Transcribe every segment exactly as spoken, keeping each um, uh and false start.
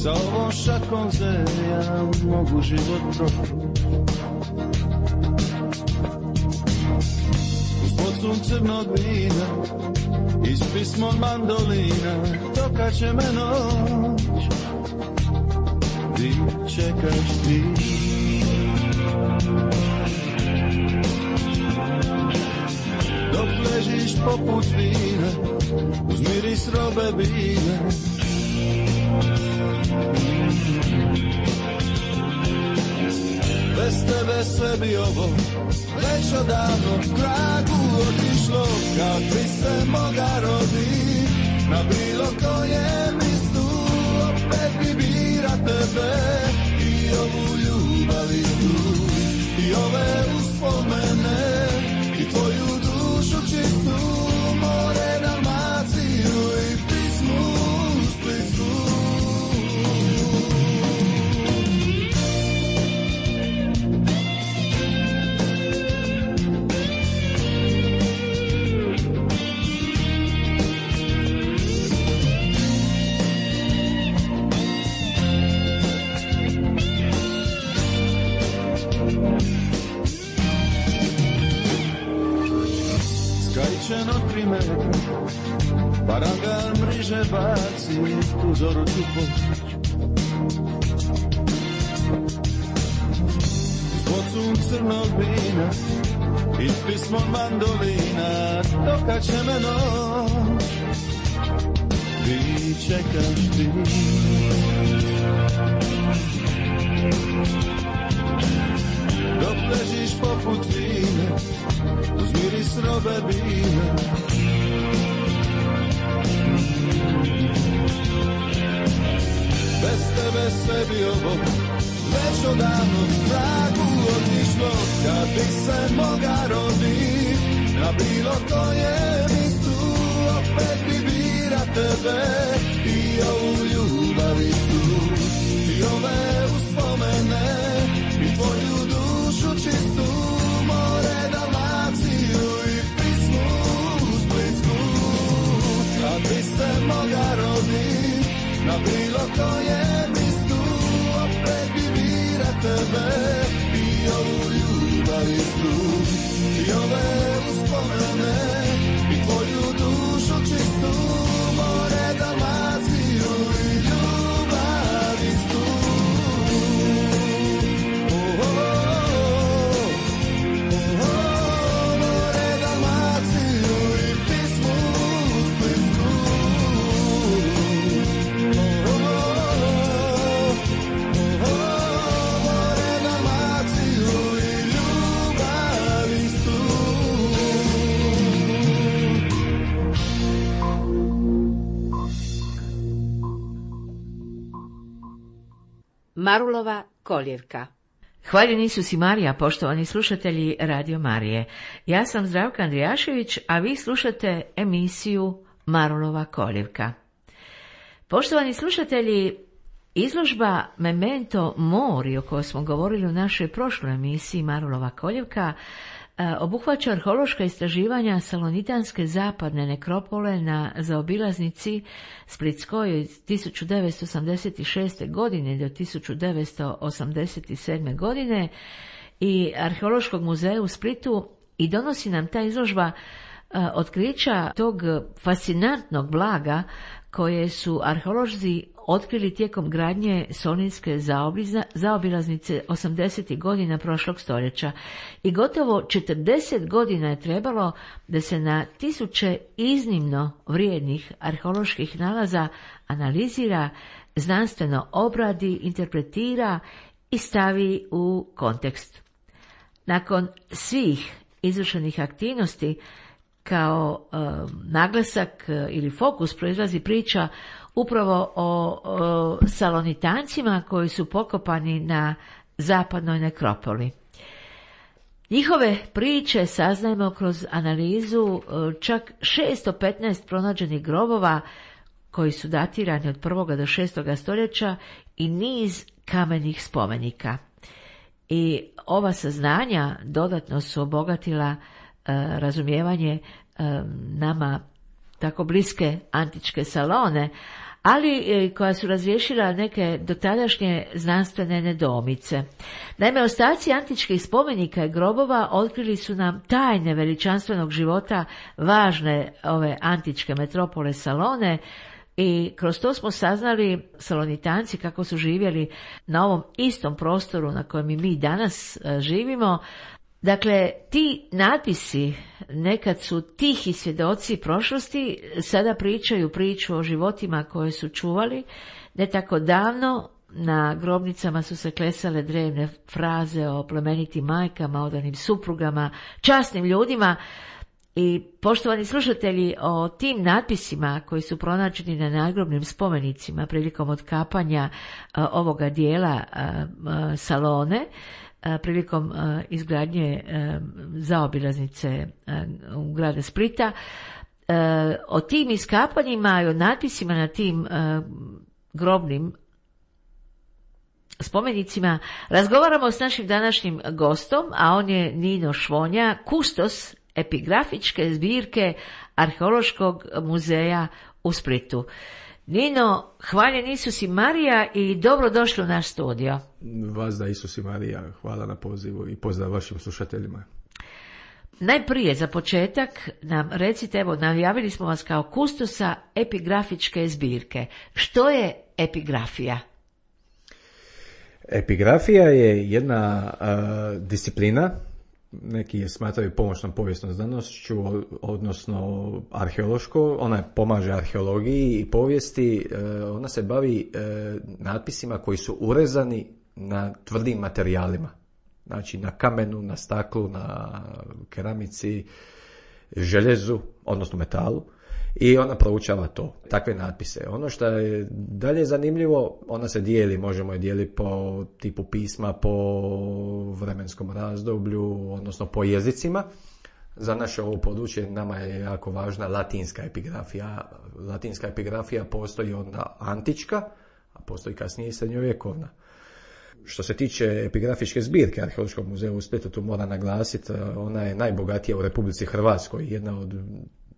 sa ovom šakom zelja mogu život proći. Uz bocu crnog vina i s pismom mandolina dokat će me noć. Ti čekaš ti. Dok ležiš poput vina uz miris robe bine. Bez tebe sve bi ovo već odavno tragu otišlo. Kad bi se moga rodi na bilo kojem listu, opet bi bira tebe i ovu ljubav istu i ove uspomene i tvoju dušu čistu, more Dalmaciju i pismu Splitsku. Skrajčeno tri metra, paragan mriže baci, tu zoru ću poći. S bocom crnog vina i s pismom mandolina dokat će me noć. Ti čekaš ti. Dok ležiš poput vina uz miris robe bine. Bez tebe sve bi ovo već odavno tragu otišlo. Kad bi se moga rodi na bilo kojem istu, opet bi bira tebe i ovu ljubav istu i ove uspomene i tvoju dušu čistu, more Dalmaciju i pismu Splitsku. Kad bi se moga rodi na bilo kojem istu, opet bi bira tebe i ovu ljubav istu i ove uspomene i tvoju dušu čistu, more Dalmaciju i ljubav istu. Marulova koljevka. Hvaljeni su si Marija, poštovani slušatelji Radio Marije. Ja sam Zdravka Andrijašević, a vi slušate emisiju Marulova koljevka. Poštovani slušatelji, izložba Memento Mori, o kojoj smo govorili u našoj prošloj emisiji Marulova koljevka, obuhvaća arheološka istraživanja salonitanske zapadne nekropole na zaobilaznici Splitskoj od tisuću devetsto osamdeset šeste. godine do tisuću devetsto osamdeset sedme. godine i Arheološkog muzeja u Splitu, i donosi nam ta izložba otkrića tog fascinantnog blaga koje su arheolozi otkrili tijekom gradnje Solinske zaobilaznice osamdesetih godina prošlog stoljeća. I gotovo četrdeset godina je trebalo da se na tisuće iznimno vrijednih arheoloških nalaza analizira, znanstveno obradi, interpretira i stavi u kontekst. Nakon svih izvršenih aktivnosti, kao e, naglasak e, ili fokus proizlazi priča upravo o, o salonitancima koji su pokopani na zapadnoj nekropoli. Njihove priče saznajemo kroz analizu e, čak šesto petnaest pronađenih grobova koji su datirani od prvog do šestog stoljeća i niz kamenih spomenika. I ova saznanja dodatno su obogatila razumijevanje nama tako bliske antičke Salone, ali koja su razriješila neke dotadašnje znanstvene nedoumice. Naime, ostaci antičkih spomenika i grobova otkrili su nam tajne veličanstvenog života važne ove antičke metropole Salone, i kroz to smo saznali Salonitanci kako su živjeli na ovom istom prostoru na kojem i mi danas živimo. Dakle, ti natpisi nekad su tihi svjedoci prošlosti, sada pričaju priču o životima koje su čuvali. Ne tako davno na grobnicama su se klesale drevne fraze o plemenitim majkama, odanim suprugama, časnim ljudima. I poštovani slušatelji, o tim natpisima koji su pronađeni na nadgrobnim spomenicima prilikom otkapanja a, ovoga dijela a, a, Salone, a, prilikom a, izgradnje a, zaobilaznice a, u grada Splita, a, o tim iskapanjima i o natpisima na tim a, grobnim spomenicima razgovaramo s našim današnjim gostom, a on je Nino Švonja, kustos epigrafičke zbirke Arheološkog muzeja u Splitu. Nino, hvaljen Isus i Marija i dobrodošli u naš studio. Vas da Isus i Marija, hvala na pozivu i pozdrav vašim slušateljima. Najprije za početak nam recite, evo, najavili smo vas kao kustosa epigrafičke zbirke. Što je epigrafija? Epigrafija je jedna uh, disciplina, neki je smatraju pomoćnom povijesnom znanošću, odnosno arheološko. Ona pomaže arheologiji i povijesti. Ona se bavi natpisima koji su urezani na tvrdim materijalima. Znači na kamenu, na staklu, na keramici, željezu, odnosno metalu. I ona proučava to, takve natpise. Ono što je dalje zanimljivo, ona se dijeli, možemo je dijeliti po tipu pisma, po vremenskom razdoblju, odnosno po jezicima. Za naše ovo područje nama je jako važna latinska epigrafija. Latinska epigrafija postoji onda antička, a postoji kasnije i srednjovjekovna. Što se tiče epigrafičke zbirke Arheološkog muzeja u Splitu, tu moram naglasiti, ona je najbogatija u Republici Hrvatskoj, jedna od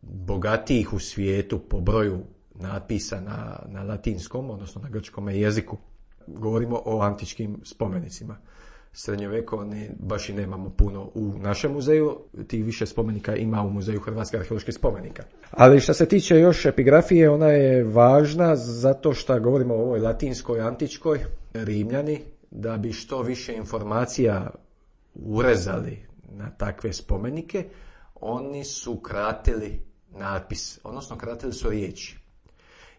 bogatijih u svijetu po broju natpisa na, na latinskom, odnosno na grčkom jeziku. Govorimo o antičkim spomenicima. Srednjovjekovni baš i nemamo puno u našem muzeju, tih više spomenika ima u Muzeju Hrvatske arheoloških spomenika. Ali što se tiče još epigrafije, ona je važna zato što govorimo o ovoj latinskoj, antičkoj. Rimljani, da bi što više informacija urezali na takve spomenike, oni su kratili natpis, odnosno kratili su riječi.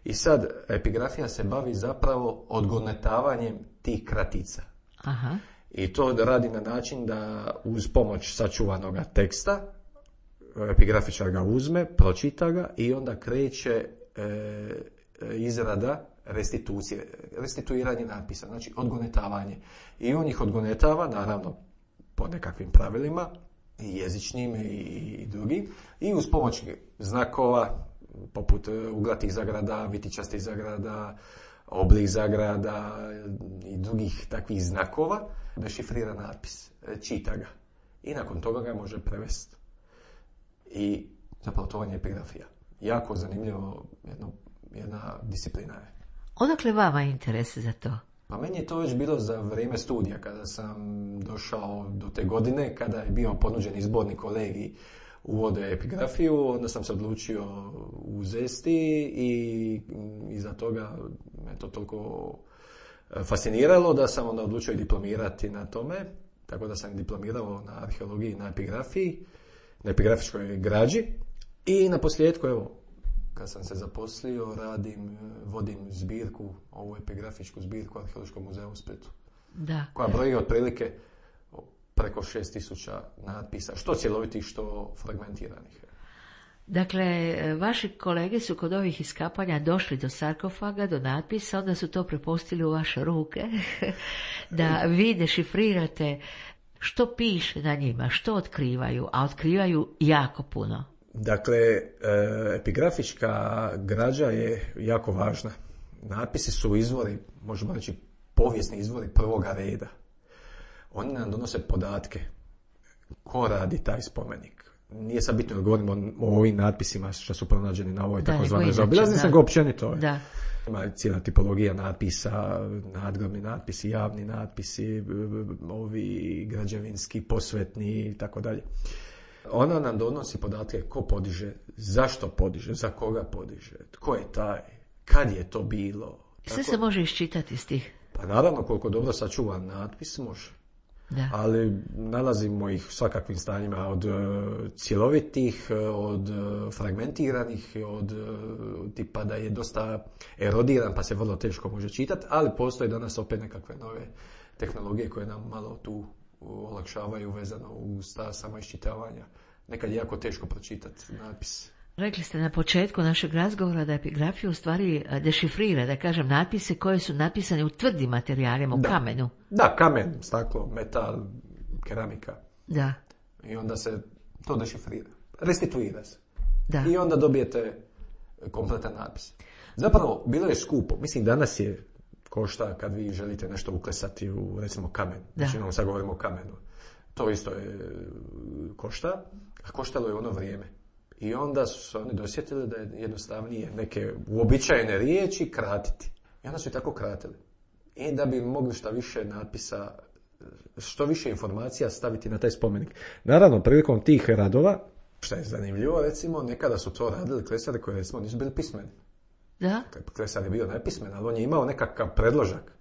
I sad epigrafija se bavi zapravo odgonetavanjem tih kratica. Aha. I to radi na način da uz pomoć sačuvanog teksta epigrafičar ga uzme, pročita ga i onda kreće e, izrada restitucije, restituiranje natpisa, znači odgonetavanje. I on ih odgonetava, naravno, po nekakvim pravilima, i jezičnim i drugim, i uz pomoć znakova, poput uglatih zagrada, vitičastih zagrada, oblik zagrada i drugih takvih znakova, dešifrira natpis, čita ga. I nakon toga ga može prevesti. I zapravo to je epigrafija. Jako zanimljivo jedno, jedna disciplina je. Odakle vama interes za to? Pa meni je to već bilo za vrijeme studija, kada sam došao do te godine, kada je bio ponuđen izborni kolegij uvode epigrafiju, onda sam se odlučio uzesti i iza toga me to toliko fasciniralo da sam onda odlučio i diplomirati na tome, tako da sam diplomirao na arheologiji, na epigrafiji, na epigrafičkoj građi i na posljedku, evo, kad sam se zaposlio, radim, vodim zbirku, ovu epigrafičku zbirku Arheološkog muzeja u Splitu. Da. Koja broji otprilike preko šest tisuća natpisa, što cjelovitih, što fragmentiranih. Dakle, vaši kolege su kod ovih iskapanja došli do sarkofaga, do natpisa, onda su to prepustili u vaše ruke, da vi dešifrirate što piše na njima, što otkrivaju, a otkrivaju jako puno. Dakle, epigrafička građa je jako važna. Natpisi su izvori, možemo reći, povijesni izvori prvoga reda. Oni nam donose podatke. Ko radi taj spomenik? nije sad bitno da govorimo o ovim natpisima što su pronađeni na ovoj takozvanoj zaobilaznici, nego općenito. Da. Ima cijela tipologija natpisa, nadgrobni natpisi, javni natpisi, ovi građevinski, posvetni i tako dalje. Ona nam donosi podatke ko podiže, zašto podiže, za koga podiže, tko je taj, kad je to bilo. Sve se može iščitati iz tih. Pa naravno, koliko dobro sačuvan natpis može. Da. Ali nalazimo ih u svakakvim stanjima, od uh, cjelovitih, od uh, fragmentiranih, od uh, tipa da je dosta erodiran pa se vrlo teško može čitati, ali postoje danas opet nekakve nove tehnologije koje nam malo tu olakšavaju vezano uz ta sama iščitavanja. Nekad je jako teško pročitati natpis. Rekli ste na početku našeg razgovora da epigrafija u stvari dešifrira, da kažem, natpise koje su napisane u tvrdim materijalima, u da. kamenu. Da, kamen, staklo, metal, keramika. Da. I onda se to dešifrira, restituira se. Da. I onda dobijete kompletan natpis. Zapravo, bilo je skupo. Mislim, danas je košta kad vi želite nešto uklesati u, recimo, kamen. Znači, sad govorimo o kamenu. To isto je košta, a koštalo je ono vrijeme. I onda su se oni dosjetili da je jednostavnije neke uobičajene riječi kratiti. I onda su i tako kratili. I da bi mogli što više natpisa, što više informacija staviti na taj spomenik. Naravno, prilikom tih radova, što je zanimljivo, recimo, nekada su to radili klesari koji, recimo, nisu bili pismeni. Da? Klesar je bio nepismen, ali on je imao nekakav predložak.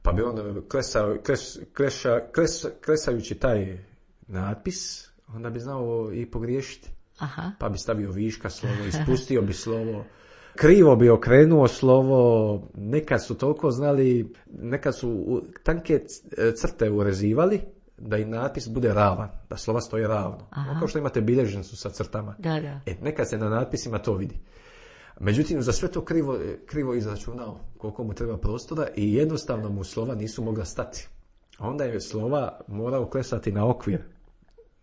Pa bi on klesao, kles, kleša, kles, klesajući taj natpis, onda bi znao i pogriješiti. Aha. Pa bi stavio viška slovo, ispustio bi slovo, krivo bi okrenuo slovo, nekad su toliko znali, nekad su tanke crte urezivali da i natpis bude ravan, da slova stoje ravno. Kao što imate bilježnicu sa crtama. Da, da. E, nekad se na natpisima to vidi. Međutim, za sve to krivo, krivo izračunao koliko mu treba prostora i jednostavno mu slova nisu mogla stati. Onda je slova morao klesati na okvir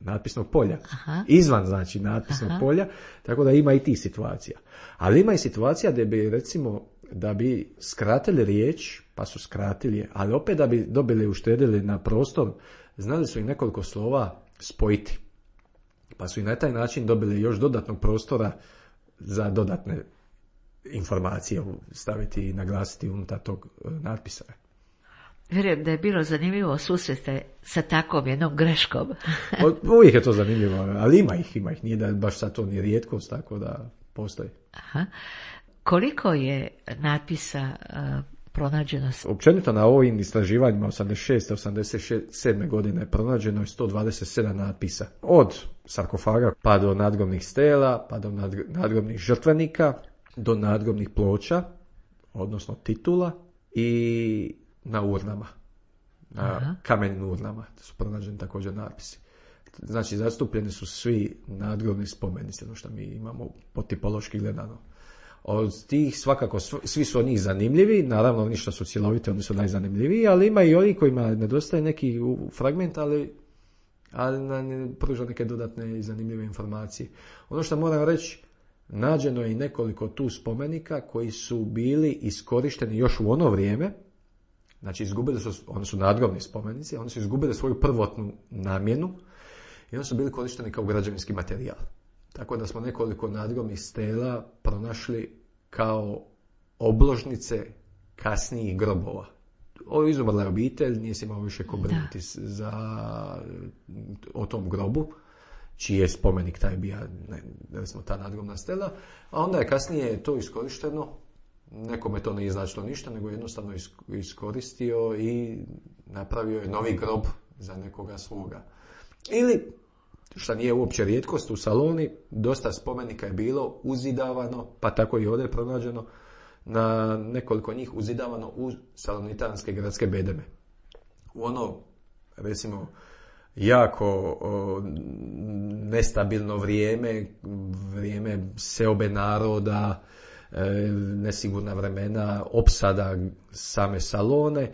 natpisnog polja. Aha. Izvan, znači, natpisnog Aha. polja, tako da ima i tih situacija. Ali ima i situacija da bi, recimo, da bi skratili riječ, pa su skratili je, ali opet da bi dobili, uštedili na prostor, znali su i nekoliko slova spojiti. Pa su i na taj način dobili još dodatnog prostora za dodatne informacije staviti i naglasiti unutar tog natpisa. Vjerujem da je bilo zanimljivo susrete sa takvom jednom greškom. Uvijek je to zanimljivo, ali ima ih, ima ih. Nije da baš sad to ni rijetkost, tako da postoji. Aha. Koliko je natpisa uh, pronađeno? Općenito na ovim istraživanjima osamdeset šeste osamdeset sedme godine pronađeno je sto dvadeset sedam natpisa. Od sarkofaga pa do nadgrobnih stela, pa do nadgrobnih žrtvenika, do nadgrobnih ploča, odnosno titula i na urnama, na Aha. kamenim urnama su pronađeni također natpisi. Znači, zastupljeni su svi nadgrobni spomenici, ono što mi imamo po tipološki gledano. Od tih svakako, svi su oni zanimljivi, naravno oni što su cjeloviti, oni su najzanimljiviji, ali ima i oni kojima nedostaje neki fragment, ali, ali nam pruža neke dodatne i zanimljive informacije. Ono što moram reći, nađeno je i nekoliko tu spomenika koji su bili iskorišteni još u ono vrijeme. Znači, izgubili su, oni su nadgrobni spomenici, oni su izgubili svoju prvotnu namjenu i oni su bili korišteni kao građevinski materijal. Tako da smo nekoliko nadgrobnih stela pronašli kao obložnice kasnijih grobova. Ovo izumrla je obitelj, nije se imao više ko brinuti za, o tom grobu, čiji je spomenik taj bio, ne, recimo ta nadgrobna stela, a onda je kasnije to iskorišteno. Nekome to nije značilo ništa, nego jednostavno iskoristio i napravio je novi grob za nekoga svoga. Ili, što nije uopće rijetkost, u Saloni dosta spomenika je bilo uzidavano, pa tako i ovdje je pronađeno, na nekoliko njih uzidavano u salonitanske gradske bedeme. U ono, recimo, jako o, nestabilno vrijeme, vrijeme seobe naroda, nesigurna vremena, opsada same Salone.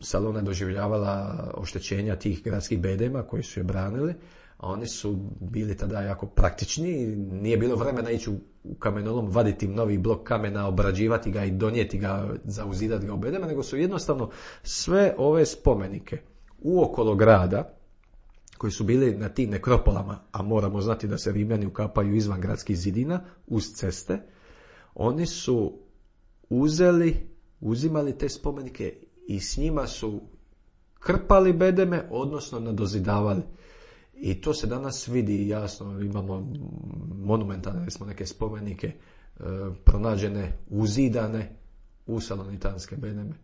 Salona je doživljavala oštećenja tih gradskih bedema koji su je branili, a oni su bili tada jako praktični. Nije bilo vremena ići u kamenolom, vaditi novi blok kamena, obrađivati ga i donijeti ga, zauzidati ga u bedeme, nego su jednostavno sve ove spomenike uokolo grada koji su bili na tim nekropolama, a moramo znati da se Rimljani ukapaju izvan gradskih zidina, uz ceste, oni su uzeli, uzimali te spomenike i s njima su krpali bedeme, odnosno nadozidavali. I to se danas vidi jasno, imamo monumentalne smo neke spomenike e, pronađene, uzidane u salonitanske bedeme.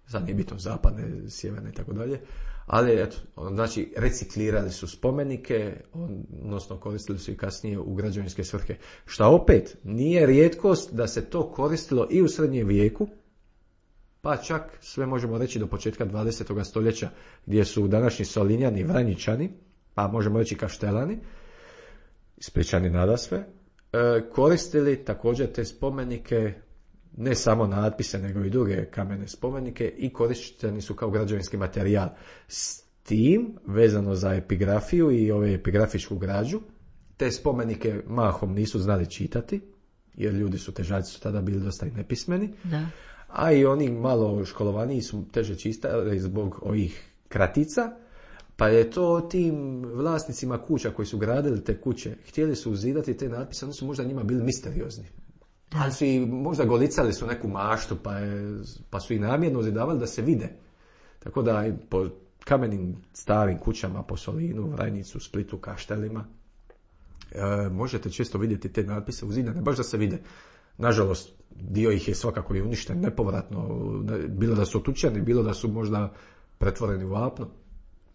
Sad nije bitno zapadne, sjeverne i tako dalje. Ali, eto, znači, reciklirali su spomenike, odnosno koristili su i kasnije u građevinske svrhe. Šta opet, nije rijetkost da se to koristilo i u srednjem vijeku, pa čak sve možemo reći do početka dvadesetog stoljeća, gdje su današnji Solinjani, Vranjičani, pa možemo reći Kaštelani, ispričani nadasve, koristili također te spomenike, ne samo natpise, nego i druge kamene spomenike i korišteni su kao građevinski materijal. S tim, vezano za epigrafiju i ove epigrafičku građu, te spomenike mahom nisu znali čitati, jer ljudi su težaci su tada bili dosta i nepismeni, da. A i oni malo školovaniji su teže čitali zbog ovih kratica, pa je to tim vlasnicima kuća koji su gradili te kuće, htjeli su uzidati te natpise, oni su možda njima bili misteriozni. Da. Ali su i možda golicali su neku maštu, pa, je, pa su i namjerno uzidavali da se vide. Tako da po kamenim starim kućama, po Solinu, Vranjicu, Splitu, Kaštelima, e, možete često vidjeti te natpise uzidane, baš da se vide. Nažalost, dio ih je svakako i uništen nepovratno, bilo da su otučeni, bilo da su možda pretvoreni u apno.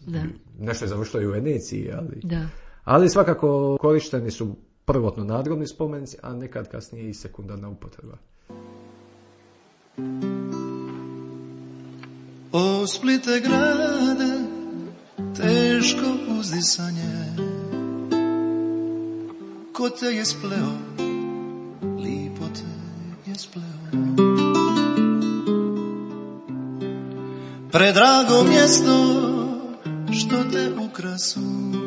Da. Nešto je završilo i u Veneciji, ali, da. Ali svakako korišteni su prvotno nadgrobni spomenici, a nekad kasnije i sekundarna upotreba. O Splite grade, teško uzdisanje, ko te je spleo, lipo te je spleo. Predrago mjesto, što te ukrasuješ,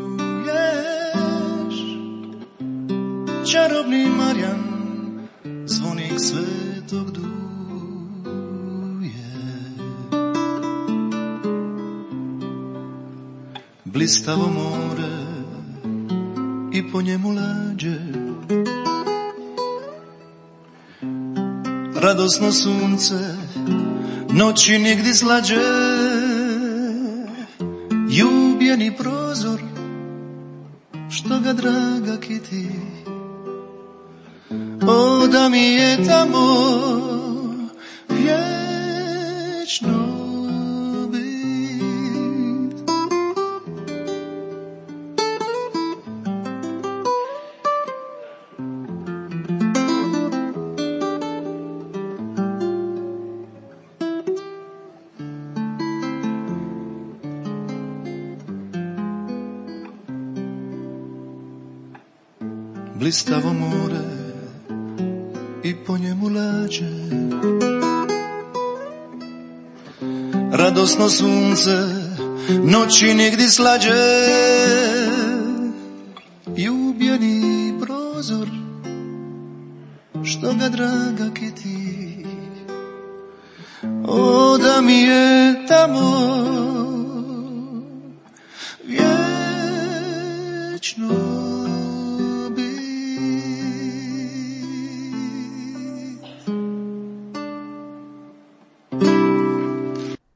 čarobni Marjan, zvonik svetog duje. Blistavo more i po njemu lađe, radosno sunce, noći nigdje slađe. Ljubljeni prozor, što ga draga kiti, o da mi je tamo vječno bit. Blistavo more i po njemu lađe, radosno sunce, noći nigdje slađe. Ljubljeni prozor, što ga draga kiti, o da mi je tamo vječno.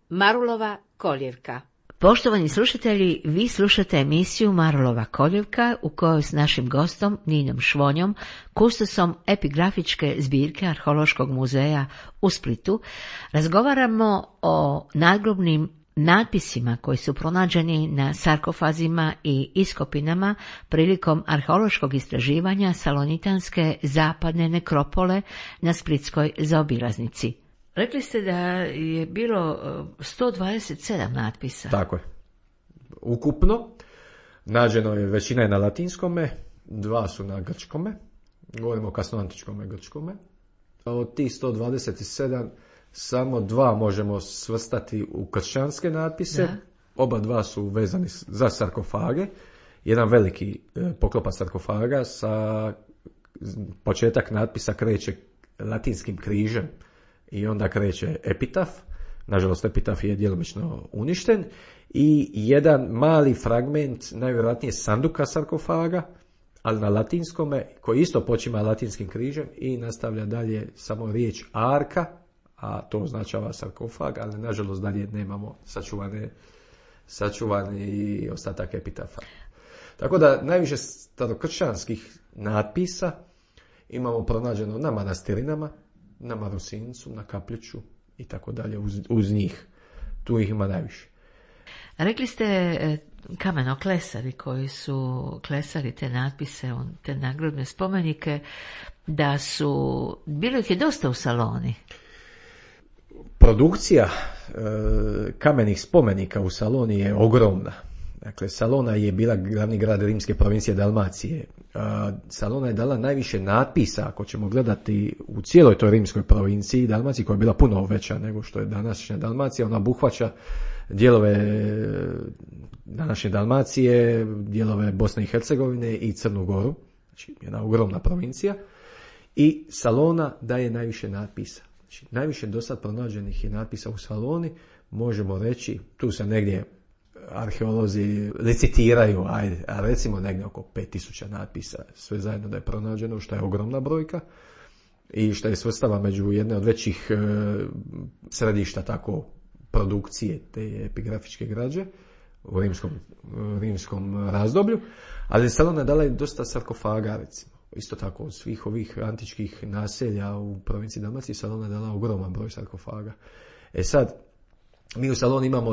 Marulova koljevka. Poštovani slušatelji, vi slušate emisiju Marulova koljevka u kojoj s našim gostom Ninom Švonjom, kustosom epigrafičke zbirke Arheološkog muzeja u Splitu, razgovaramo o nadgrobnim natpisima koji su pronađeni na sarkofazima i iskopinama prilikom arheološkog istraživanja salonitanske zapadne nekropole na splitskoj zaobilaznici. Rekli ste da je bilo sto dvadeset sedam natpisa. Tako je. Ukupno nađeno je, većina je na latinskome, dva su na grčkome, govorimo o kasnoantičkome grčkome. Od tih sto dvadeset sedam samo dva možemo svrstati u kršćanske natpise, da. Oba dva su vezani za sarkofage. Jedan veliki poklopac sarkofaga, sa početak natpisa kreće latinskim križem i onda kreće epitaf nažalost epitaf je djelomično uništen, i jedan mali fragment, najvjerojatnije sanduka sarkofaga, ali na latinskome, koji isto počima latinskim križem i nastavlja dalje samo riječ arka, a to označava sarkofag, ali nažalost dalje nemamo sačuvane, sačuvani ostatak epitafa. Tako da najviše starokršćanskih natpisa imamo pronađeno na manastirinama, na Marusincu, na Kapljiću i tako dalje uz, uz njih. Tu ih ima najviše. Rekli ste kamenoklesari koji su klesali te natpise, te nagrobne spomenike, da su, bilo ih je dosta u Saloni. Produkcija e, kamenih spomenika u Saloni je ogromna. Dakle, Salona je bila glavni grad rimske provincije Dalmacije. Salona je dala najviše natpisa, ako ćemo gledati u cijeloj toj rimskoj provinciji Dalmaciji, koja je bila puno veća nego što je današnja Dalmacija. Ona obuhvaća dijelove današnje Dalmacije, dijelove Bosne i Hercegovine i Crnu Goru. Znači, jedna ogromna provincija. I Salona daje najviše natpisa. Znači, najviše do sad pronađenih je natpisa u Saloni, možemo reći, tu se negdje arheolozi licitiraju, ajde, a recimo negdje oko pet tisuća natpisa, sve zajedno da je pronađeno, što je ogromna brojka i što je svrstava među jedne od većih e, središta tako produkcije te epigrafičke građe u rimskom, rimskom razdoblju, ali Salona dala je dosta sarkofaga, recimo. Isto tako od svih ovih antičkih naselja u provinciji Dalmacije Salona dala ogroman broj sarkofaga. E sad, mi u Saloni imamo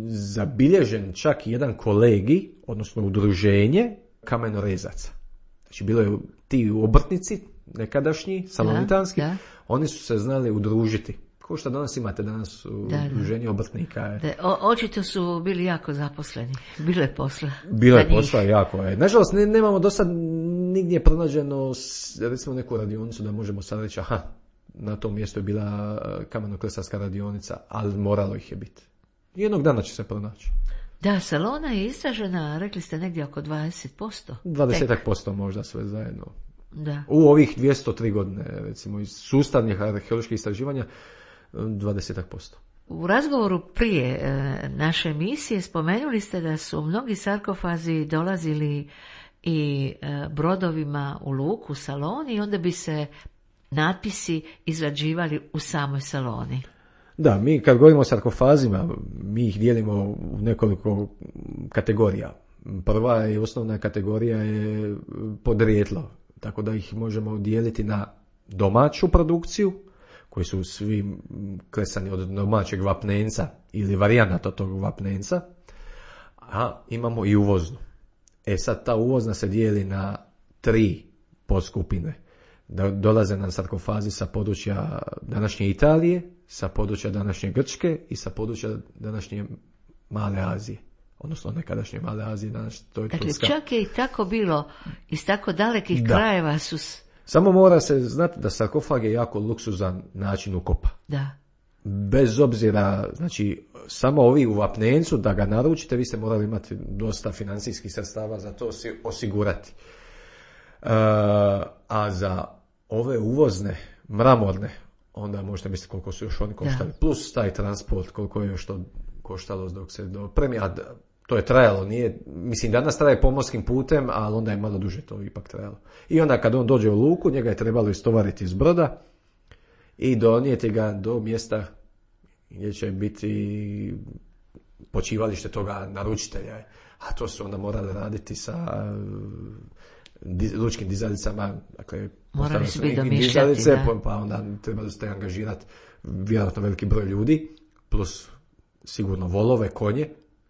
zabilježen čak jedan kolegij, odnosno udruženje kamenorezaca. Znači, bilo je ti obrtnici, nekadašnji, salonitanski, da, da. Oni su se znali udružiti. Ko što danas imate danas u da, udruženje obrtnika. Da, o, očito su bili jako zaposleni. Bilo je posla. Bilo je posla jako. Je. Nažalost, ne, nemamo do sad nigdje pronađeno, recimo, neku radionicu da možemo sad reći, aha, na tom mjestu je bila kamenoklesarska radionica, ali moralo ih je biti. Jednog dana će se pronaći. Da, Salona je istražena, rekli ste, negdje oko dvadeset posto. dvadeset posto možda sve zajedno. Da. U ovih dvjesto tri godine, recimo, iz sustavnih arheoloških istraživanja, dvadeset posto. U razgovoru prije e, naše emisije spomenuli ste da su mnogi sarkofazi dolazili i e, brodovima u luku u Saloni i onda bi se natpisi izrađivali u samoj Saloni. Da, mi kad govorimo o sarkofazima, mi ih dijelimo u nekoliko kategorija. Prva i osnovna kategorija je podrijetlo, tako da ih možemo dijeliti na domaću produkciju, koji su svi klesani od domaćeg vapnenca ili varijanata tog vapnenca, a imamo i uvoznu. E sad, ta uvozna se dijeli na tri podskupine. Da dolaze nam sarkofazi sa područja današnje Italije, sa područja današnje Grčke i sa područja današnje Male Azije. Odnosno nekadašnje Male Azije, danas to je dakle, Turska. Čak je i tako bilo, iz tako dalekih da. krajeva su... Samo mora se znati da sarkofag je jako luksuzan način ukopa. Da. Bez obzira, znači, samo ovi u vapnencu, da ga naručite, vi ste morali imati dosta financijskih sredstava za to si osigurati. Uh, a za ove uvozne, mramorne, onda možete misliti koliko su još oni koštali. Da. Plus taj transport, koliko je još to koštalo dok se dopremi, a to je trajalo, nije, mislim danas traje pomorskim putem, ali onda je malo duže to ipak trajalo. I onda kad on dođe u luku, njega je trebalo istovariti iz broda i donijeti ga do mjesta gdje će biti počivalište toga naručitelja. A to su onda morali raditi sa lučkim dizalicama, dakle, morali su biti domišljati, da. Pa onda trebali ste angažirati vjerojatno veliki broj ljudi, plus sigurno volove, konje,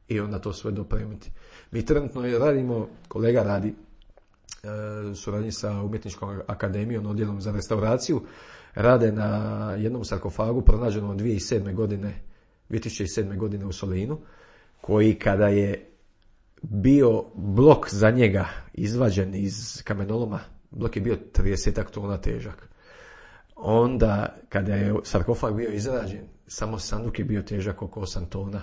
i onda to sve dopremiti. Mi trenutno radimo, kolega radi e, suradnji sa Umjetničkom akademijom, odjelom za restauraciju, rade na jednom sarkofagu pronađenom dvije tisuće sedme godine, dvije tisuće sedme godine u Solinu, koji kada je bio blok za njega izvađen iz kamenoloma, blok je bio trideset tona težak. Onda kada je sarkofag bio izrađen, samo sanduk je bio težak oko osam tona.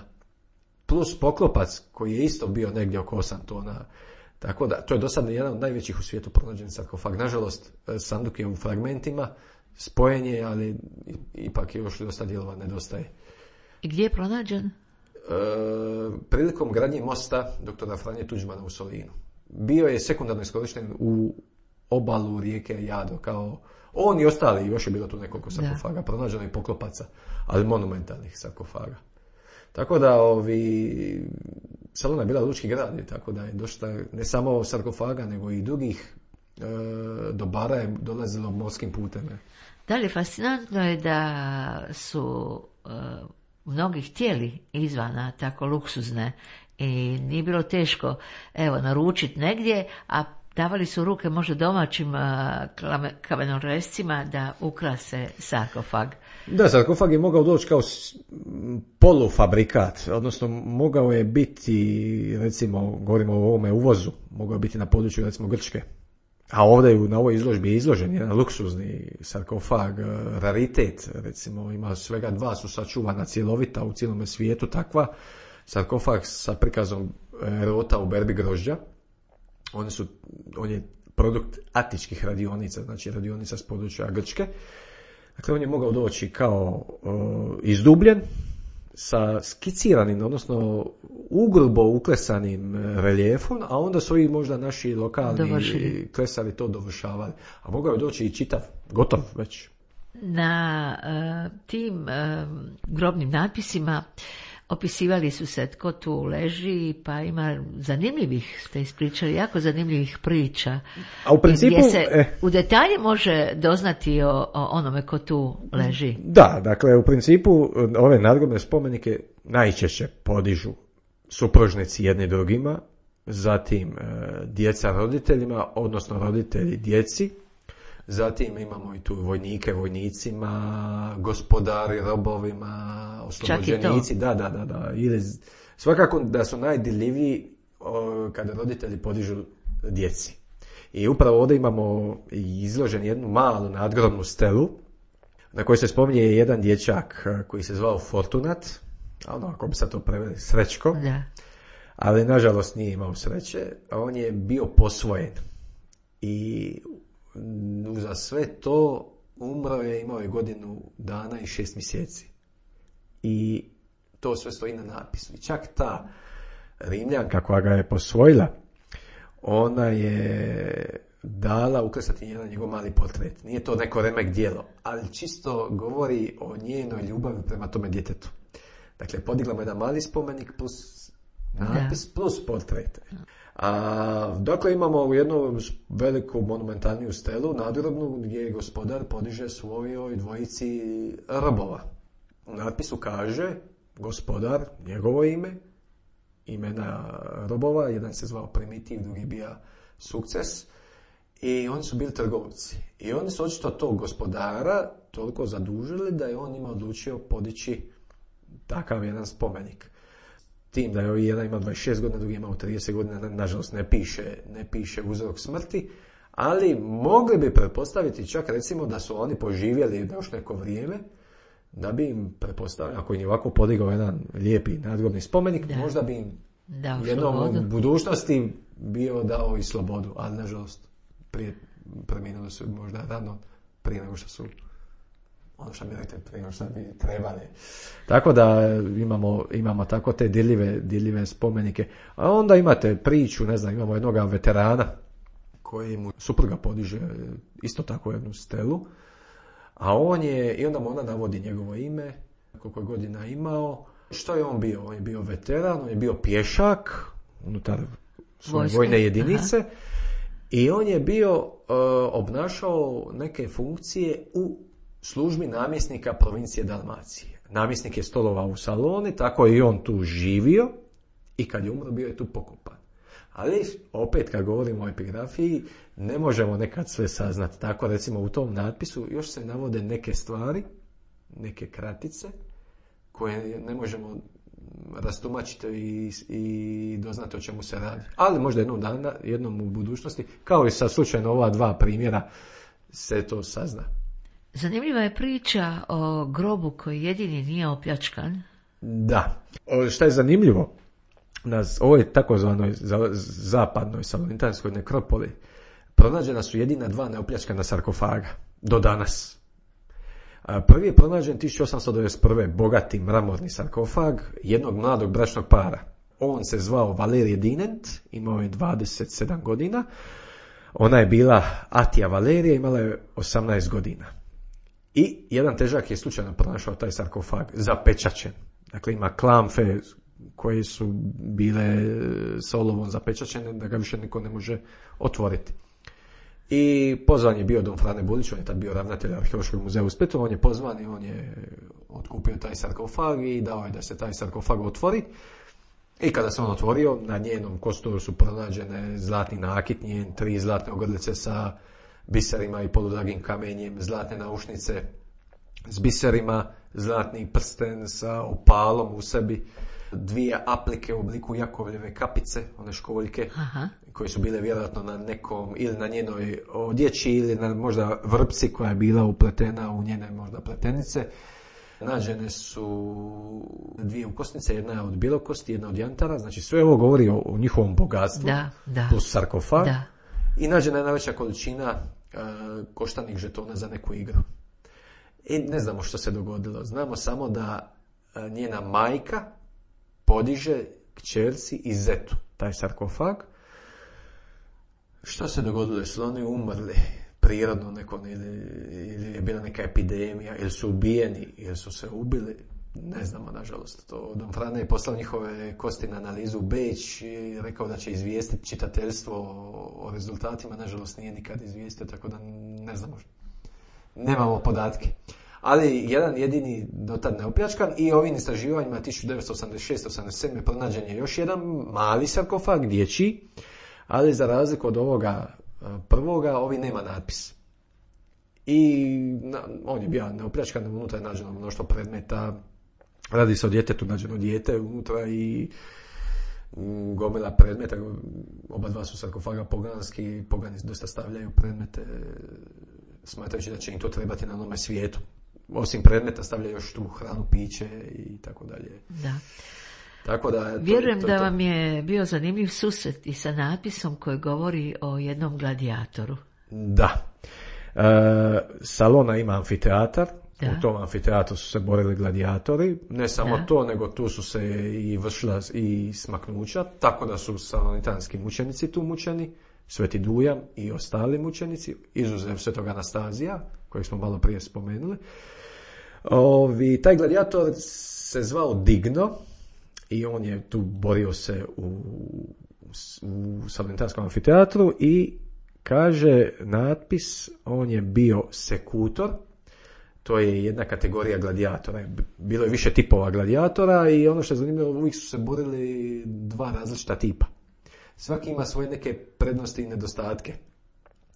Plus poklopac koji je isto bio negdje oko osam tona. Tako da, to je do sada jedan od najvećih u svijetu pronađenih sarkofag. Nažalost, sanduk je u fragmentima, spojen je, ali ipak je još dosta dijelova nedostaje. I gdje je pronađen? E, prilikom gradnje mosta doktora Franje Tuđmana u Solinu. Bio je sekundarno iskorišten u obalu rijeke Jadro, kao on i ostali, još je bilo tu nekoliko sarkofaga, pronađeno i poklopaca, ali monumentalnih sarkofaga. Tako da ovi, Salona je bila lučki grad, tako da je došla ne samo sarkofaga, nego i drugih e, dobara je dolazilo morskim putem. Dalje, fascinantno je da su e, mnogi htjeli izvana tako luksuzne i nije bilo teško evo naručiti negdje, a davali su ruke možda domaćim kamenorezcima da ukrase sarkofag. Da, sarkofag je mogao doći kao polufabrikat, odnosno mogao je biti, recimo, govorimo o ovome uvozu, mogao je biti na području, recimo, Grčke. A ovdje na ovoj izložbi je izložen jedan luksuzni sarkofag, raritet, recimo, ima svega dva su sačuvana cjelovita u cijelom svijetu takva, sarkofag sa prikazom rota u berbi grožđa. Oni su, on je produkt atičkih radionica, znači radionica s područja Grčke. Dakle, on je mogao doći kao uh, izdubljen, sa skiciranim, odnosno ugrubo uklesanim reljefom, a onda su i možda naši lokalni Dovršili. klesari to dovršavali. A mogao je doći i čitav, gotov već. Na uh, tim uh, grobnim natpisima opisivali su se tko tu leži, pa ima zanimljivih, ste ispričali, jako zanimljivih priča. A u principu... Gdje se eh, u detalje može doznati o, o onome ko tu leži. Da, dakle, u principu ove nadgrobne spomenike najčešće podižu supružnici jedni drugima, zatim e, djeca roditeljima, odnosno roditelji djeci, zatim imamo i tu vojnike vojnicima, gospodari robovima, oslobođenici, da, da, da, da. Ili, svakako da su najdirljiviji kada roditelji podižu djeci. I upravo ovdje imamo izložen jednu malu nadgrobnu stelu na kojoj se spominje jedan dječak koji se zvao Fortunat, a ono, ako bi se to preveli, Srećko, Da. ali nažalost nije imao sreće, a on je bio posvojen. I za sve to umro je, imao je godinu dana i šest mjeseci. I to sve stoji na napisu. I čak ta Rimljanka koja ga je posvojila, ona je dala uklesati jedan njegov mali portret. Nije to neko remek djelo, ali čisto govori o njenoj ljubavi prema tome djetetu. Dakle, podigla mu jedan mali spomenik plus napis da. plus portret. A, dakle, imamo jednu veliku monumentalniju stelu, nadgrobnu, gdje gospodar podiže svojoj dvojici robova. U natpisu kaže gospodar, njegovo ime, imena robova, jedan se zvao Primitiv, drugi bija Sukces, i oni su bili trgovci. I oni su očito tog gospodara toliko zadužili da je on njima odlučio podići takav jedan spomenik. Tim da je jedan ima dvadeset šest godina, drugi imao trideset godina, nažalost ne piše, ne piše uzrok smrti, ali mogli bi pretpostaviti čak recimo da su oni poživjeli još neko vrijeme, da bi im pretpostavili, ako im je ovako podigao jedan lijepi nadgrobni spomenik, da. možda bi im jednom u budućnosti bio dao i slobodu, ali nažalost prije preminuli su možda rano, prije nego što su ono što mi rekli, prije nego što bi trebali. Tako da imamo, imamo tako te dirljive, dirljive spomenike. A onda imate priču, ne znam, imamo jednog veterana koji mu supruga podiže isto tako jednu stelu, a on je, i onda mu ona navodi njegovo ime, koliko je godina imao. Što je on bio? On je bio veteran, on je bio pješak unutar svoje Vojske. vojne jedinice. Aha. I on je bio uh, obnašao neke funkcije u službi namjesnika provincije Dalmacije. Namjesnik je stolovao u Saloni, tako je i on tu živio i kad je umro bio je tu pokopan. Ali opet kad govorimo o epigrafiji ne možemo nekad sve saznati. Tako recimo u tom natpisu još se navode neke stvari, neke kratice koje ne možemo rastumačiti i, i doznati o čemu se radi. Ali možda jednom dana, jednom u budućnosti, kao i sa slučajno ova dva primjera, se to sazna. Zanimljiva je priča o grobu koji jedini nije opljačkan. Da. O, šta je zanimljivo? Na ovoj takozvanoj zapadnoj salonitanskoj nekropoli pronađena su jedina dva neopljačkana sarkofaga do danas. Prvi je pronađen tisuću osamsto devedeset prve. bogati mramorni sarkofag jednog mladog bračnog para. On se zvao Valerije Dinent, imao je dvadeset sedam godina. Ona je bila Atija Valerija, imala je osamnaest godina. I jedan težak je slučajno pronašao taj sarkofag, zapečaćen. Dakle, ima klamfe koje su bile s olovom zapečaćene, da ga više niko ne može otvoriti. I pozvan je bio Don Frane Bulić, on je tad bio ravnatelj Arheološkog muzeja u Splitu, on je pozvan i on je otkupio taj sarkofag i dao je da se taj sarkofag otvori. I kada se on otvorio, na njenom kosturu su pronađene zlatni nakit njen, tri zlatne ogrlice sa biserima i poludragim kamenjem, zlatne naušnice s biserima, zlatni prsten sa opalom u sebi, dvije aplike u obliku Jakovljeve kapice, one školjke, aha, koje su bile vjerojatno na nekom, ili na njenoj odjeći, ili na možda vrpci koja je bila upletena u njene možda pletenice. Nađene su dvije ukosnice, jedna je od bjelokosti, jedna od jantara, znači sve ovo govori o, o njihovom bogatstvu, da, da, plus sarkofag. Da. I nađena je najveća količina uh, koštanih žetona za neku igru. I ne znamo što se dogodilo. Znamo samo da uh, njena majka podiže kćerci i zetu taj sarkofag. Što se dogodilo? Jesu oni umrli prirodno neko, ili, ili je bila neka epidemija, ili su ubijeni, ili su se ubili? Ne znamo, nažalost. To Don Frane je poslao njihove kosti na analizu u Beč i rekao da će izvijestiti čitateljstvo o, o rezultatima. Nažalost nije nikad izvijestio, tako da ne znamo. Nemamo podatke. Ali jedan jedini dotad neopljačkan i ovim istraživanjima tisuću devetsto osamdeset šeste osamdeset sedme pronađen je još jedan mali sarkofag, dječji, ali za razliku od ovoga prvoga, ovi nema natpis. I na, on je bio neopljačkan, unutra je nađeno mnoštvo predmeta, radi se o djetetu, nađeno dijete unutra i m, gomila predmeta, oba dva su sarkofaga poganski, pogani dosta stavljaju predmete, smatrajući da će im to trebati na onome svijetu. Osim predmeta stavljaju još tu hranu, piće i tako dalje. Da. Tako da, to, vjerujem to, da to. vam je bio zanimljiv susret i sa napisom koji govori o jednom gladijatoru. Da. E, Salona ima amfiteatar. Da. U tom amfiteatru su se borili gladijatori. Ne samo da. to, nego tu su se i vršila i smaknuća, tako da su salonitanski mučenici tu mučeni, Sveti Dujam i ostali mučenici, izuzev Svetog Anastazija, kojeg smo malo prije spomenuli. Ovi, taj gladijator se zvao Digno i on je tu borio se u, u salonitanskom amfiteatru i kaže natpis, on je bio sekutor. To je jedna kategorija gladijatora. Bilo je više tipova gladijatora i ono što je zanimljivo, uvijek su se borili dva različita tipa. Svaki ima svoje neke prednosti i nedostatke.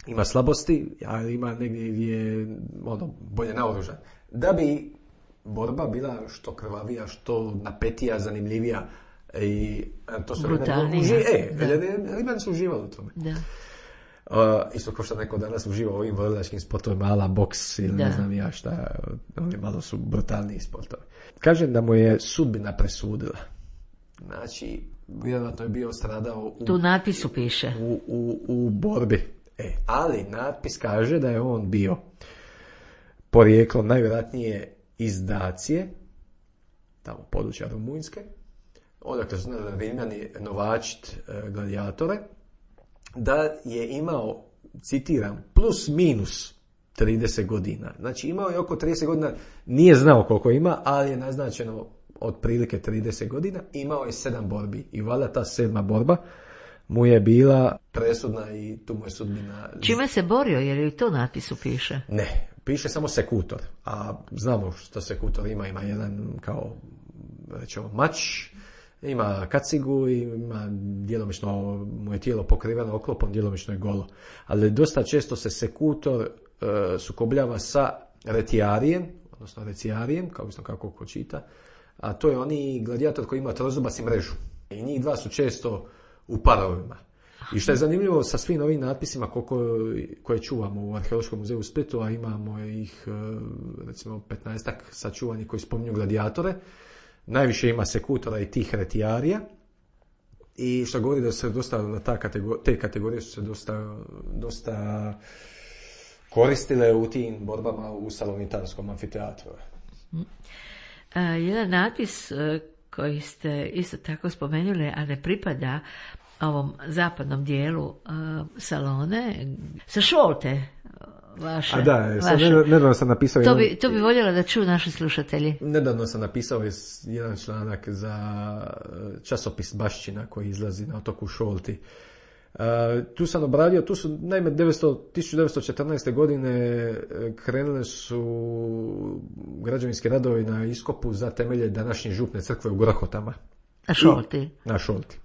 Ima slabosti, ali ima negdje gdje je ono, bolje naoružan. Da bi borba bila što krvavija, što napetija, zanimljivija i to su brutalnija. E, Rimljani su uživali u tome. Da. Uh, isto kao što neko danas uživa u ovim borilačkim sportovima, ala boks ili da. Ne znam ja šta, oni malo su brutalniji sportovi. Kažem da mu je sudbina presudila. Znači, vjerojatno je bio stradao u, tu natpisu piše u, u, u borbi. E, ali natpis kaže da je on bio porijeklo najvjerojatnije iz Dacije, tamo područja Rumunjske, odakle su znali Rimljani novačit e, gladiatore, da je imao, citiram, plus minus trideset godina. Znači imao je oko trideset godina, nije znao koliko ima, ali je naznačeno otprilike trideset godina, imao je sedam borbi i valjda ta sedma borba mu je bila presudna i tu mu je sudbina. Čime se borio, jer i to napisu piše? Ne, piše samo sekutor, a znamo što sekutor ima, ima jedan kao rećemo mač, ima kacigu i ima djelomično mu je tijelo pokriveno oklopom, djelomično je golo. Ali dosta često se sekutor uh, sukobljava sa retijarijem, odnosno recijarijem, kao isto kako ko čita, a to je oni gladijator koji ima trozubas i mrežu. I njih dva su često u parovima. I što je zanimljivo sa svim ovim natpisima koliko, koje čuvamo u Arheološkom muzeju u Splitu, a imamo ih recimo petnaestak sačuvanih koji spominju gladiatore, najviše ima sekutora i tih retijarija. I što govori da se dosta na ta kategor- te kategorije su se dosta, dosta koristile u tim borbama u Salonitanskom amfiteatru. A, jedan natpis koji ste isto tako spomenuli, a ne pripada ovom zapadnom dijelu uh, Salone, sa Šolte vaše. A da, vaše. nedavno sam napisao... To jedan, bi, to bi voljela da čuju naši slušatelji. Nedavno sam napisao jedan članak za časopis Bašćina koji izlazi na otoku Šolti. Uh, tu sam obradio, tu su naime tisuću devetsto četrnaeste. godine krenule su građevinski radovi na iskopu za temelje današnje župne crkve u Grohotama. Na Šolti. I, na Šolti.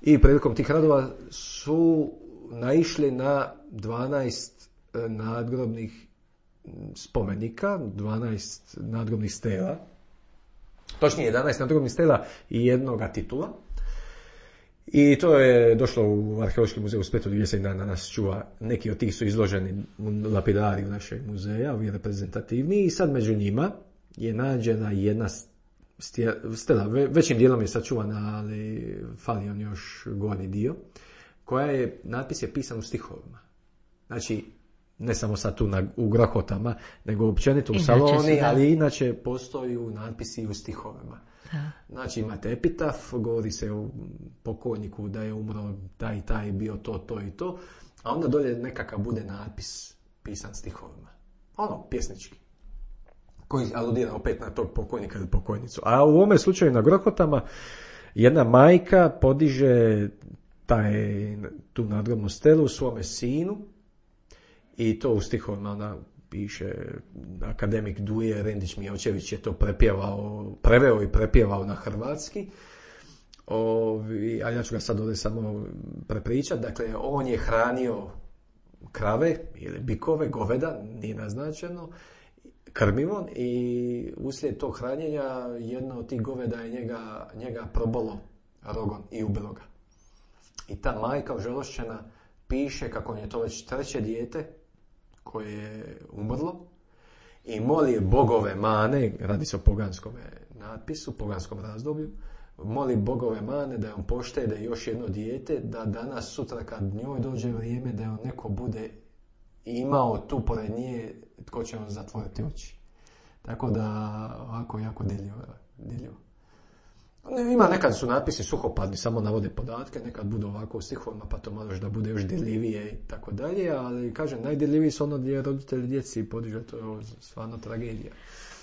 I prilikom tih radova su naišli na dvanaest nadgrobnih spomenika, dvanaest nadgrobnih stela, točnije jedanaest nadgrobnih stela i jednoga titula. I to je došlo u Arheološki muzej u Splitu gdje se i danas čuva. Neki od tih su izloženi u lapidariju našeg muzeja, ovi reprezentativni, i sad među njima je nađena jedna stela, većim dijelom je sačuvana, ali fali on još gornji dio, koja je, natpis je pisan u stihovima. Znači, ne samo sad tu na, u Grohotama, nego općenito u Saloni, da. Ali inače postoji natpisi u stihovima. Da. Znači, imate epitaf, govori se o pokojniku da je umro taj i taj, bio to, to i to, a onda dolje nekakav bude natpis pisan stihovima. Ono, pjesnički, koji aludira opet na tog pokojnika ili pokojnicu. A u ovome slučaju na Grohotama jedna majka podiže taj, tu nadgrobnu stelu svome sinu i to u stihovima ona piše, akademik Duje Rendić Mijevčević je to prepjevao, preveo i prepjevao na hrvatski. Ovi, a ja ću ga sad ovdje samo prepričati. Dakle, on je hranio krave ili bikove, goveda, nije naznačeno, krmivom, i uslijed tog hranjenja jedno od tih goveda je njega, njega probolo rogom i ubilo ga. I ta majka ožalošćena piše kako je to već treće dijete koje je umrlo i moli bogove mane, radi se o poganskom natpisu, poganskom razdoblju, moli bogove mane da on poštede još jedno dijete, da danas sutra kad njoj dođe vrijeme da on neko bude imao tu pored nje tko će on zatvoriti oči. Tako da ovako jako diljivo. Ima nekad su natpisi suhopadni, samo navode podatke, nekad budu ovako u stihovima pa to malo da bude još dirljivije i tako dalje, ali kažem, najdirljiviji su ono gdje roditelji djeci podiže, to je stvarno tragedija.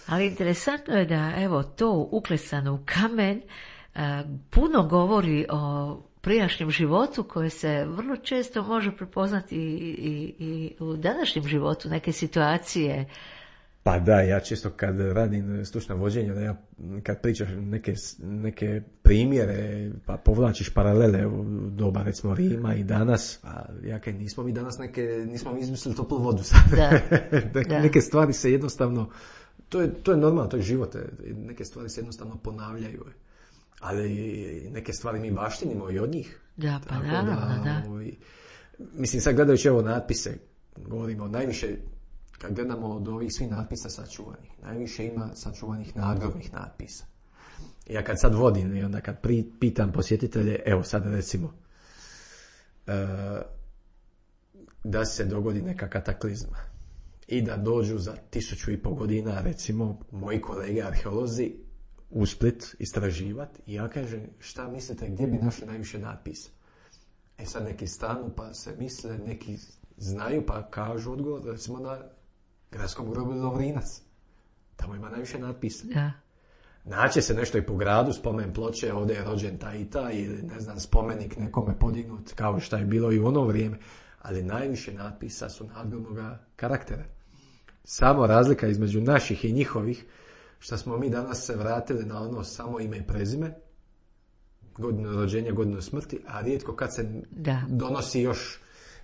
Ali interesantno je da evo to uklesano u kamen a, puno govori o prijašnjem životu koje se vrlo često može prepoznati i, i, i u današnjem životu, neke situacije. Pa da, ja često kad radim stručna vođenja, da ja kad pričaš neke, neke primjere, pa povlačiš paralele u doba recimo Rima i danas, a ja kaj nismo mi danas neke, nismo mi izmislili toplu vodu sad. Da, da. Neke stvari se jednostavno, to je, to je normalno, to je život, neke stvari se jednostavno ponavljaju. Ali neke stvari mi baštinimo i od njih. Da, pa naravno, da. da. Ovaj, mislim, sad gledajući ovo natpise, govorimo najviše, kad gledamo od ovih svih natpisa sačuvanih, najviše ima sačuvanih nadgrobnih natpisa. I ja kad sad vodim i onda kad pri, pitam posjetitelje, evo sad recimo, uh, da se dogodi neka kataklizma i da dođu za tisuću i pol godina, recimo, moji kolege arheolozi u Split istraživati, i ja kažem, šta mislite, gdje bi našli najviše natpisa? E sad neki stanu pa se misle, neki znaju pa kažu odgovor, recimo na gradskom groblju Lovrinac. Tamo ima najviše natpisa. Da. Naće se nešto i po gradu, spomen ploče, ovdje je rođen taj i taj, ili ne znam, spomenik nekome podignut, kao što je bilo i u ono vrijeme, ali najviše natpisa su nadgrobnoga karaktera. Samo razlika između naših i njihovih, što smo mi danas se vratili na ono samo ime i prezime, godinu rođenja, godinu smrti, a rijetko kad se da. donosi još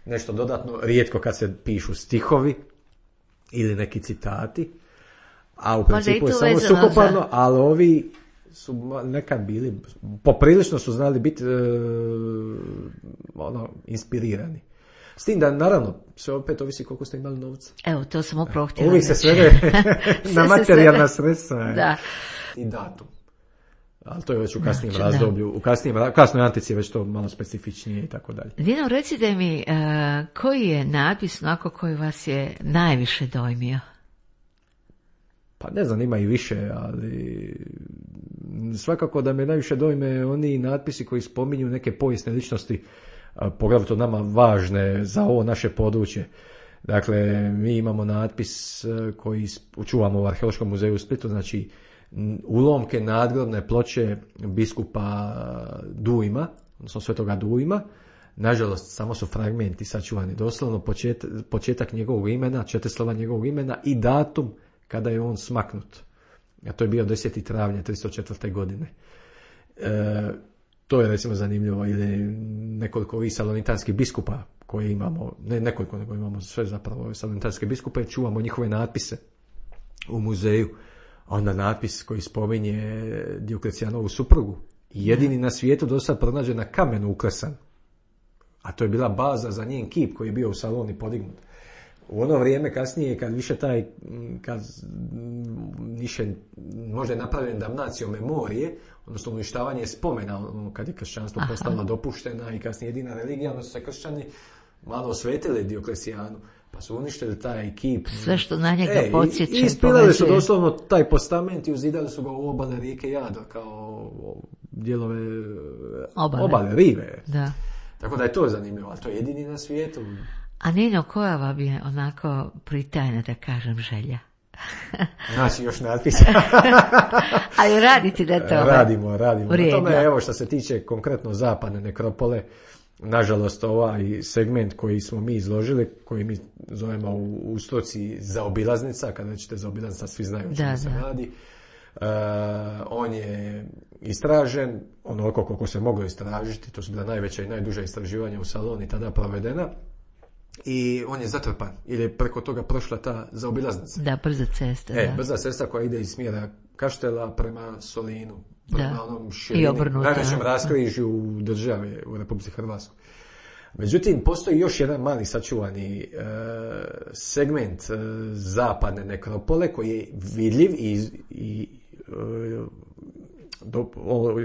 nešto dodatno, rijetko kad se pišu stihovi ili neki citati, a u principu je samo suhoparno, za... ali ovi su nekad bili, poprilično su znali biti e, ono, inspirirani. S tim da, naravno, sve opet ovisi koliko ste imali novca. Evo, to sam upravo htjela. Uvijek se svede na materijalna sredstva. Da. I datum. ali to je već u kasnijem znači, razdoblju, da. u kasnijem, kasnoj antici je već to malo specifičnije i tako dalje. Dino, recite mi, uh, koji je natpis onako koji vas je najviše dojmio? Pa ne znam, ima i više, ali svakako da me najviše dojme oni natpisi koji spominju neke povijesne ličnosti, poglavito nama važne za ovo naše područje. Dakle, mi imamo natpis koji čuvamo u Arheološkom muzeju u Splitu, znači ulomke nadgrobne ploče biskupa Dujma, odnosno svetoga Dujma. Nažalost, samo su fragmenti sačuvani, doslovno počet, početak njegovog imena, četiri slova njegovog imena i datum kada je on smaknut. A to je bio deseti travnja tristo četvrte godine. E, to je recimo zanimljivo, ili nekoliko ovih salonitanskih biskupa koje imamo, ne nekoliko, nego imamo sve zapravo salonitanske biskupe, čuvamo njihove natpise u muzeju. Onda natpis koji spominje Dioklecijanovu suprugu, jedini na svijetu do sad pronađen na kamenu uklesan. A to je bila baza za njen kip koji je bio u Saloni podignut. U ono vrijeme kasnije, kad više taj, kad više možda je napravljen damnacijom memorije, odnosno uništavanje spomena, kad je kršćanstvo Aha. postalo dopuštena i kasnije jedina religija, onda su se kršćani malo osvetili Dioklecijanu, pa su uništili taj kip. Sve što na njega e, podsjeće. I ispilali su doslovno taj postament i uzidali su ga u obale rijeke Jadro, kao dijelove obale, obale rive. Da. Tako da je to zanimljivo, ali to je jedini na svijetu. A Nino, koja vam je onako pritajna, da kažem, želja? Znači, još natpis. Ali raditi da to radimo, radimo. Na tome, evo, što se tiče konkretno zapadne nekropole, nažalost, ovaj segment koji smo mi izložili, koji mi zovemo u, u stoci zaobilaznica, kada ćete zaobilaznica, svi znaju o čemu se radi. Uh, on je istražen onoliko koliko se moglo istražiti, to su bila najveća i najduža istraživanja u Saloni tada provedena, i on je zatrpan, jer je preko toga prošla ta zaobilaznica. Da, brza cesta. E, da. brza cesta koja ide iz smjera Kaštela prema Solinu, prema da. onom širini, najvećem raskrižju u države u Republici Hrvatskoj. Međutim, postoji još jedan mali sačuvani e, segment e, zapadne nekropole koji je vidljiv i, i e, do, o,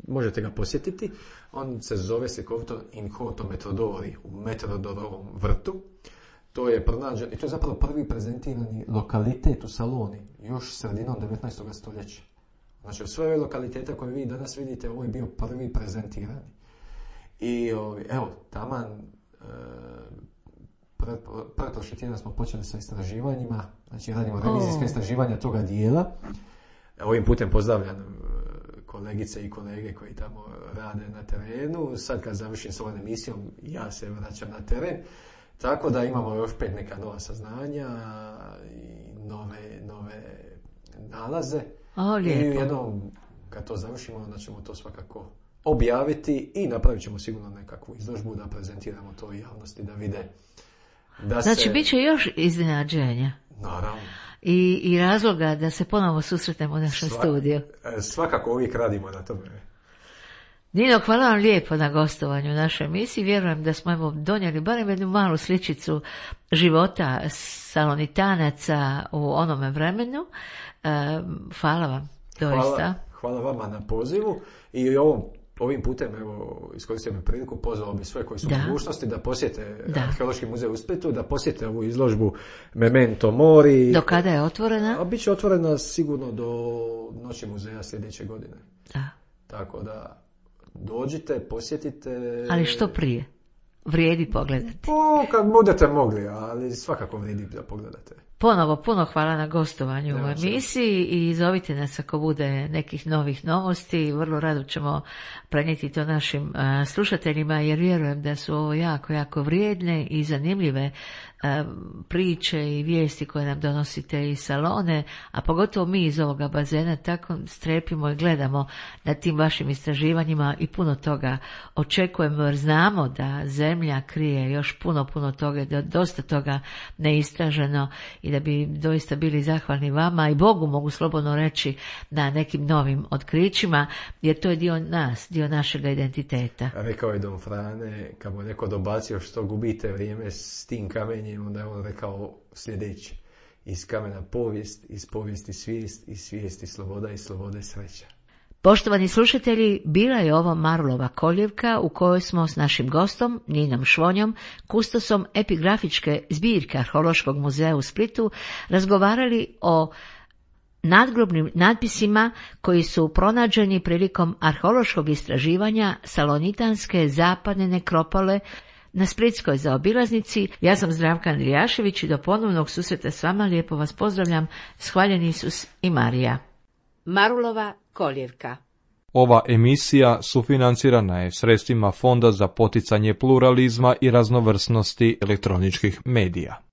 možete ga posjetiti. On se zove slikovito Inhoto Metrodori, u Metrodorovom vrtu. To je pronađen, i to je zapravo prvi prezentirani lokalitet u Saloni, još sredinom devetnaestog stoljeća. Znači, u sve ove lokalitete koje vi danas vidite, ovo je bio prvi prezentirani. I evo, taman e, pretprošli tjedan smo počeli sa istraživanjima, znači radimo revizijska istraživanja toga dijela. Ovim putem pozdravljam kolegice i kolege koji tamo rade na terenu. Sad kad završim s ovom emisijom, ja se vraćam na teren. Tako da imamo još pet neka nova saznanja i nove, nove nalaze. O, I jednom, kad to završimo, onda ćemo to svakako objaviti i napravit ćemo sigurno nekakvu izložbu da prezentiramo to javnosti, da vide da znači, se... bit će još iznenađenja. Naravno. I, i razloga da se ponovo susretnemo u našem Sva, studiju. Svakako uvijek radimo na tome. Nino, hvala vam lijepo na gostovanju u našoj emisiji. Vjerujem da smo evo donijeli barem jednu malu sličicu života Salonitanaca u onome vremenu. E, hvala vam, doista. Hvala, hvala vama na pozivu i ovom Ovim putem, evo, iskoristim priliku, pozvao bi sve koji su u mogućnosti da posjete da. Arheološki muzej u Splitu, da posjete ovu izložbu Memento Mori. Do kada je otvorena? A bit će otvorena sigurno do Noći muzeja sljedeće godine. Da. Tako da dođite, posjetite. Ali što prije? Vrijedi pogledati. Po, kad budete mogli, ali svakako vrijedi da pogledate. Ponovo puno hvala na gostovanju u emisiji i zovite nas ako bude nekih novih novosti. Vrlo rado ćemo prenijeti to našim uh, slušateljima, jer vjerujem da su ovo jako, jako vrijedne i zanimljive uh, priče i vijesti koje nam donosite iz Salone, a pogotovo mi iz ovoga bazena tako strepimo i gledamo na tim vašim istraživanjima i puno toga očekujemo, jer znamo da zemlja krije još puno, puno toga, da dosta toga neistraženo i da bi doista bili zahvalni vama i Bogu, mogu slobodno reći, na nekim novim otkrićima, jer to je dio nas, dio našega identiteta. Rekao je Don Frane, kad mu je neko dobacio što gubite vrijeme s tim kamenjem, onda je on rekao sljedeće: iz kamena povijest, iz povijesti svijest, iz svijesti sloboda i slobode sreća. Poštovani slušatelji, bila je ovo Marulova koljevka u kojoj smo s našim gostom, Ninom Švonjom, kustosom epigrafičke zbirke Arheološkog muzeja u Splitu, razgovarali o nadgrobnim natpisima koji su pronađeni prilikom arheološkog istraživanja salonitanske zapadne nekropole na splitskoj zaobilaznici. Ja sam Zdravka Andrijašević i do ponovnog susreta s vama lijepo vas pozdravljam. Hvaljen Isus i Marija. Marulova koljevka. Ova emisija sufinancirana je sredstvima Fonda za poticanje pluralizma i raznovrsnosti elektroničkih medija.